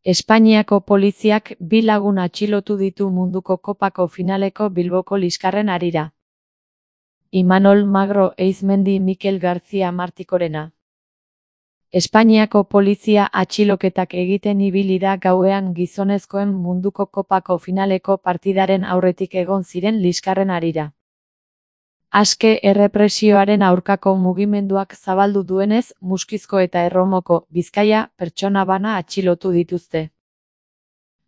Espainiako poliziak 2 lagun atxilotu ditu munduko kopako finaleko Bilboko liskarren harira. Imanol Magro Eizmendi Mikel García Martikorena. Espainiako polizia atxiloketak egiten ibili da gauean gizonezkoen munduko kopako finaleko partidaren aurretik egon ziren liskarren harira. Aske errepresioaren aurkako mugimenduak zabaldu duenez, Muskizko eta Erromoko, Bizkaia, pertsona bana atxilotu dituzte.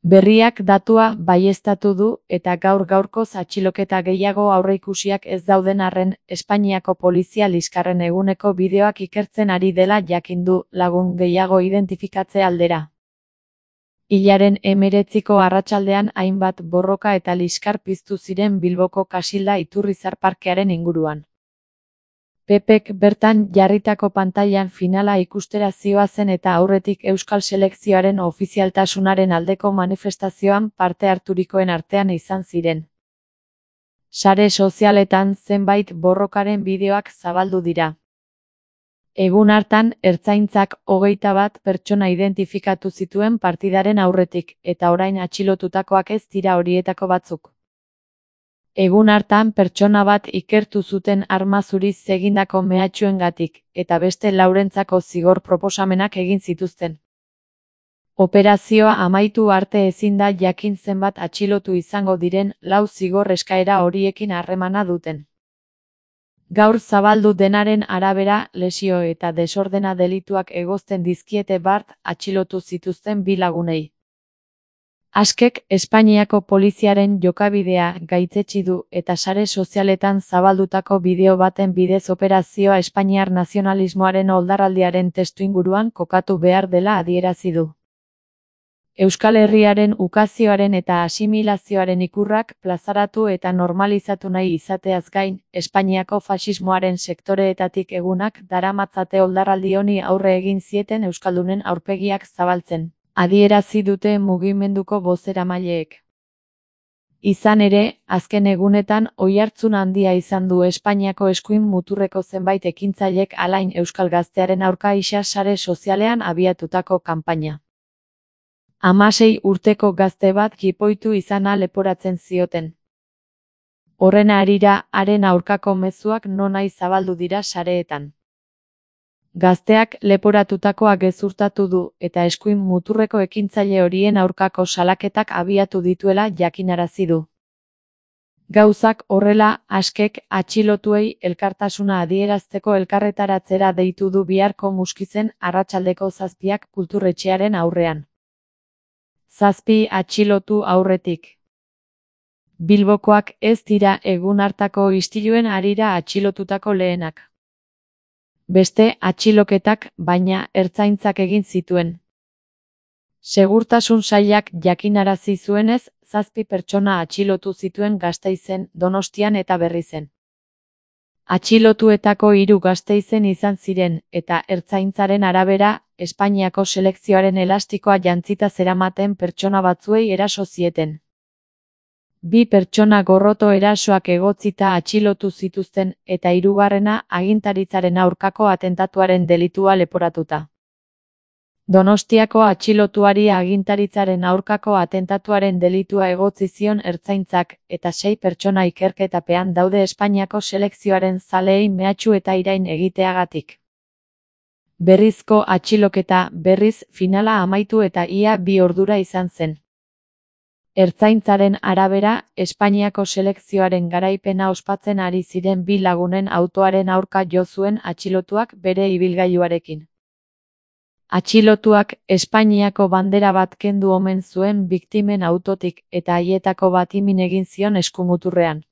Berriak datua baieztatu du eta gaur-gaurkoz atxiloketa gehiago aurreikusiak ez dauden arren, Espainiako polizia liskarren eguneko bideoak ikertzen ari dela jakin du, lagun gehiago identifikatze aldera. Hilaren 19ko arratsaldean hainbat borroka eta liskar piztu ziren Bilboko Kasilda Iturrizar parkearen inguruan. Pepek bertan jarritako pantailan finala ikustera zihoazen eta aurretik euskal selekzioaren ofizialtasunaren aldeko manifestazioan parte harturikoen artean izan ziren. Sare sozialetan zenbait borrokaren bideoak zabaldu dira. Egun hartan, ertzaintzak 21 pertsona identifikatu zituen partidaren aurretik, eta orain atxilotutakoak ez dira horietako batzuk. Egun hartan pertsona bat ikertu zuten arma zuriz egindako mehatxuengatik, eta beste laurentzako zigor proposamenak egin zituzten. Operazioa amaitu arte ezin da jakin zenbat atxilotu izango diren 4 zigor eskaera horiekin harremana duten. Gaur zabaldu denaren arabera, lesio eta desordena delituak egozten dizkiete bart atxilotu zituzten 2 lagunei. Askek Espainiako poliziaren jokabidea gaitzetsi du eta sare sozialetan zabaldutako bideo baten bidez operazioa espainiar nazionalismoaren oldarraldiaren testuinguruan kokatu behar dela adierazi du. Euskal Herriaren ukazioaren eta asimilazioaren ikurrak plazaratu eta normalizatu nahi izateaz gain, Espainiako faxismoaren sektoreetatik egunak daramatzate oldarraldi honi aurre egin zieten euskaldunen aurpegiak zabaltzen, adierazi dute mugimenduko bozeramaileek. Izan ere, azken egunetan oihartzun handia izan du Espainiako eskuin muturreko zenbait ekintzailek alain euskal gaztearen aurka isa sare sozialean abiatutako kanpaina. 16 urteko gazte bat jipoitu izana leporatzen zioten. Horren harira, haren aurkako mezuak nonahi zabaldu dira sareetan. Gazteak leporatutakoa gezurtatu du eta eskuin muturreko ekintzaile horien aurkako salaketak abiatu dituela jakinarazi du. Gauzak horrela, askek atxilotuei elkartasuna adierazteko elkarretaratzera deitu du biharko Muskizen arratsaldeko 7 kulturretxearen aurrean. 7 atxilotu aurretik. Bilbokoak ez dira egun hartako istiluen harira atxilotutako lehenak. Beste atxiloketak, baina ertzaintzak egin zituen. Segurtasun sailak jakinarazi zuenez, 7 pertsona atxilotu zituen Gasteizen, Donostian eta Berrizen. Atxilotuetako 3 Gasteizen izan ziren, eta ertzaintzaren arabera, Espainiako selekzioaren elastikoa jantzita zeramaten pertsona batzuei eraso zieten. 2 pertsona gorroto erasoak egotzita atxilotu zituzten, eta 3. agintaritzaren aurkako atentatuaren delitua leporatuta. Donostiako atxilotuari agintaritzaren aurkako atentatuaren delitua egotzi zion ertzaintzak, eta 6 pertsona ikerketapean daude Espainiako selekzioaren zaleei mehatxu eta irain egiteagatik. Berrizko atxiloketa, berriz, finala amaitu eta ia 2 ordura izan zen. Ertzaintzaren arabera, Espainiako selekzioaren garaipena ospatzen ari ziren 2 lagunen autoaren aurka jo zuen atxilotuak bere ibilgailuarekin. Atxilotuak Espainiako bandera bat kendu omen zuen biktimen autotik eta haietako bati min egin zion eskumuturrean.